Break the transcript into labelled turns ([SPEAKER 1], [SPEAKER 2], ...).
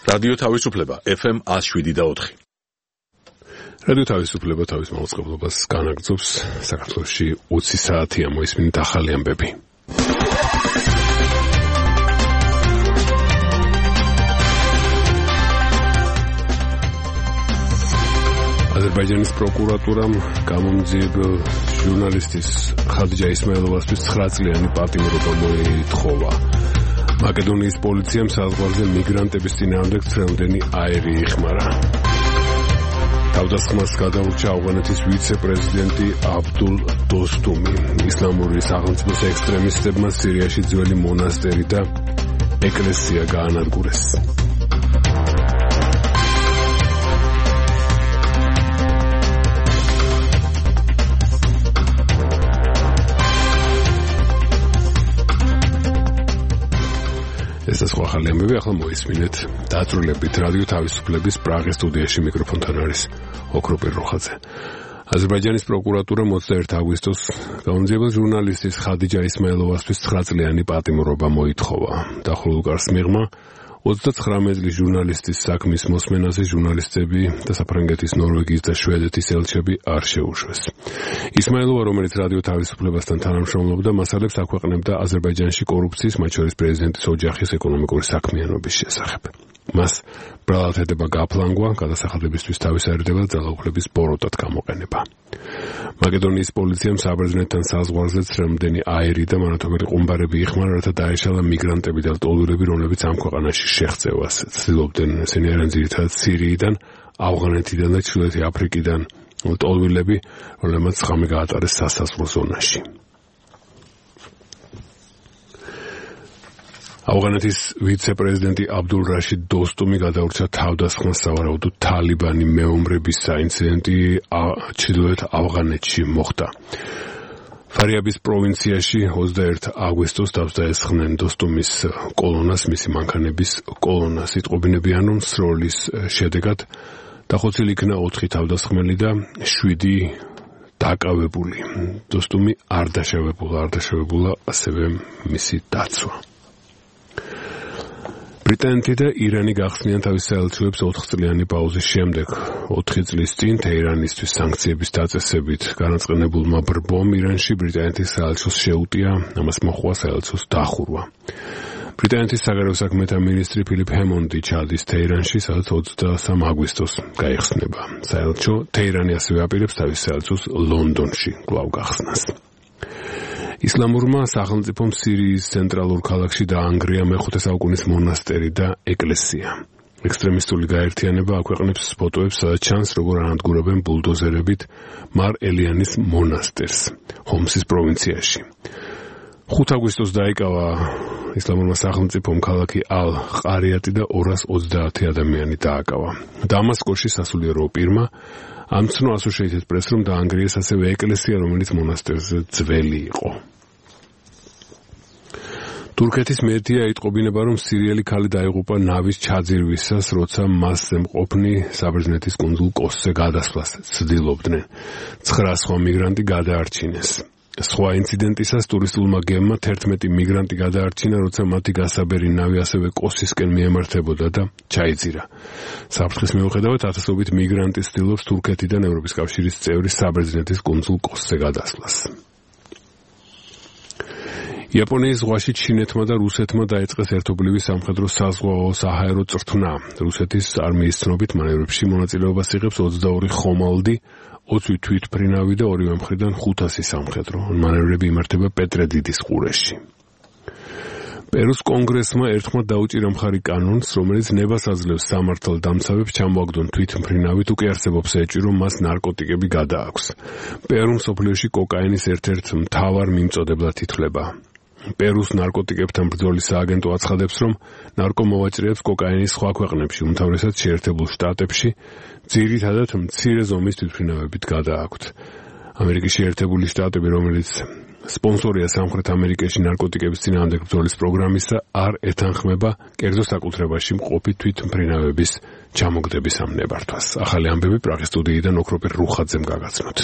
[SPEAKER 1] რადიო თავისუფლება FM 107.4. რადიო თავისუფლება თავის მაუწყებლობას განაგრძობს. საქართველოში 20 საათია მოისმინეთ ახალი ამბები. აზერბაიჯანის პროკურატურამ გამომძიებელ ჟურნალისტის ხადიჯა ისმაილოვასთვის 9 წლიანი პატიმრობა მოითხოვა. მაკედონიის პოლიციამ საზღვარზე მიგრანტების წინააღმდეგ ცრემლდენი აირი იხმარა. თავდასხმას გადაურჩა ავღანეთის ვიცე-პრეზიდენტი აბდულ დოსტუმი. ისლამური სახელმწიფოს ექსტრემისტებმა სირიაში ძველი მონასტერი და ეკლესია გაანადგურეს. ეს სხვა ახალი ამბები ახლა მოისმინეთ. დაწვრილებით რადიო თავისუფლების პრაღის სტუდიაში მიკროფონთან არის ოქროპირ როხაძე. აზერბაიჯანის პროკურატურა 21 აგვისტოს გამომძიებელ ჟურნალისტის ხადიჯა ისმაილოვასთვის 9 წლიანი პატიმრობა მოითხოვა. დახურულ უკარს მიღმა 39 წლის ჟურნალისტის საქმის მოსმენაზე ჟურნალისტები და საფრანგეთის, ნორვეგიის და შვედეთის ელჩები არ შეუშვეს. ისმაილოვა, რომელიც რადიო თავისუფლებასთან თანამშრომლობდა, მასალებს აქვეყნებდა აზერბაიჯანში კორუფციის, მათ შორის პრეზიდენტის ოჯახის ეკონომიკური საქმიანობის შესახებ. მას ბრალადდება გაფლანგვა, გადასახადებისთვის თავის აერდებელ ძალაუფლების ბოროტად გამოყენება. მაკედონიის პოლიციამ საბერძნეთთან საზღვარზე ცრემლდენი აირი და მანათობელი ყუმბარები იხმარა, რათა დაეშალა მიგრანტები და ლტოლვილები, რომლებიც ამ ქვეყანაში შეღწევას ცდილობდნენ. ესენი არიან ძირითადად სირიიდან, ავღანეთიდან და ჩრდილოეთი აფრიკიდან ლტოლვილები, რომლებმაც ღამე გაატარეს სასაზღვრო ზონაში. ავღანეთის ვიცე-პრეზიდენტი აბდულ რაშიდ დოსტუმი გადაურჩა თავდასხმას, სავარაუდოდ თალიბანი მეომრების საინციდენტი ჩრდილოეთ ავღანეთში მოხდა. ფარიაბის პროვინციაში 21 აგვისტოს თავს დაესხნენ დოსტუმის კოლონას, მისი მანქანების კოლონას. იტყობინებიან, რომ სროლის შედეგად დახოცილი იქნა 4 თავდასხმელი და 7 დაკავებული. დოსტუმი არ დაშავებულა ასევე მისი დაცვა. ბრიტანეთი და ირანი გახსნიან თავის საელჩოებს 4 წლიანი პაუზის შემდეგ. 4 წლის წინ თეირანისთვის სანქციების დაწესებით განაწყენებულმა ბრბომ ირანში ბრიტანეთის საელჩოს შეუტია, ამას მოჰყვა საელჩოს დახურვა. ბრიტანეთის საგარეო საქმეთა მინისტრი ფილიპ ჰემონდი ჩადის თეირანში, სადაც 23 აგვისტოს გაიხსნება. საელჩო თეირანი ასევე აპირებს თავის საელჩოს ლონდონში კვლავ გახსნას. ისლამურმა სახელმწიფომ სირიის ცენტრალურ ქალაქში დაანგრია მე-5 საუკუნის მონასტერი და ეკლესია. ექსტრემისტული გაერთიანება აქვეყნებს ფოტოებს, სადაც ჩანს, როგორ ანადგურებენ ბულდოზერებით მარ ელიანის მონასტერს ჰომსის პროვინციაში. 5 აგვისტოს დაიკავა ისლამურმა სახელმწიფომ ქალაქი ალ-ყარიატი და 230 ადამიანი დააკავა. დამასკოში სასულიერო პირმა ამცნო Associated Press, რომ დაანგრიეს ასევე ეკლესია, რომელიც მონასტერზე ძველი იყო. თურქეთის მედია იტყობინება, რომ სირიელი ქალი დაიღუპა ნავის ჩაძირვისას, როცა მასზე მყოფნი საბერძნეთის კუნძულ კოსზე გადასვლას ცდილობდნენ. 9 სხვა მიგრანტი გადაარჩინეს. სხვა ინციდენტისას ტურისტულმა გემმა 11 მიგრანტი გადაარჩინა, როცა მათი გასაბერი ნავი ასევე კოსისკენ მიემართებოდა და ჩაიძირა. საფრთხის მიუხედავად, ათასობით მიგრანტი ცდილობს თურქეთიდან ევროპის კავშირის წევრი საბერძნეთის კუნძულ კოსზე გადასვლას. იაპონიის ზღვაში ჩინეთმა და რუსეთმა დაიწყეს ერთობლივი სამხედრო საზღვაო საჰაერო წრთნა. რუსეთის არმიის ცნობით მანევრებში მონაწილეობას იღებს 22 ხომალდი, 20 თვითმფრინავი და ორივე მხრიდან 500 სამხედრო. მანევრები იმართება პეტრედიდის ყურეში. პერუს კონგრესმა ერთხმად დაუჭირა მხარი კანონს, რომელიც ნებას აძლევს სამართალდამცავებს ჩამოაგდონ თვითმფრინავით, უკვე არსებობს ეჭვი, რომ მას ნარკოტიკები გადააქვს. პერუ მსოფლიოში კოკაინის ერთ-ერთ მთავარ მიმწოდებლად ითვლება. პერუს ნარკოტიკებთან ბრძოლის სააგენტო აცხადებს, რომ ნარკომოვაჭრეებს კოკაინის სხვა ქვეყნებში, უმთავრესად შეერთებულ შტატებში, ძირითადად მცირე ზომის თვითმფრინავებით გადააქვთ. ამერიკის შეერთებული შტატები, რომელიც სპონსორია სამხრეთ ამერიკაში ნარკოტიკების წინააღმდეგ ბრძოლის პროგრამისა, არ ეთანხმება კერძო საკუთრებაში მყოფი თვითმფრინავების ჩამოგდების ამ ნებართვას. ახალი ამბები პრაღის სტუდიიდან ოქროპირ რუხაძემ გაგაცნოთ.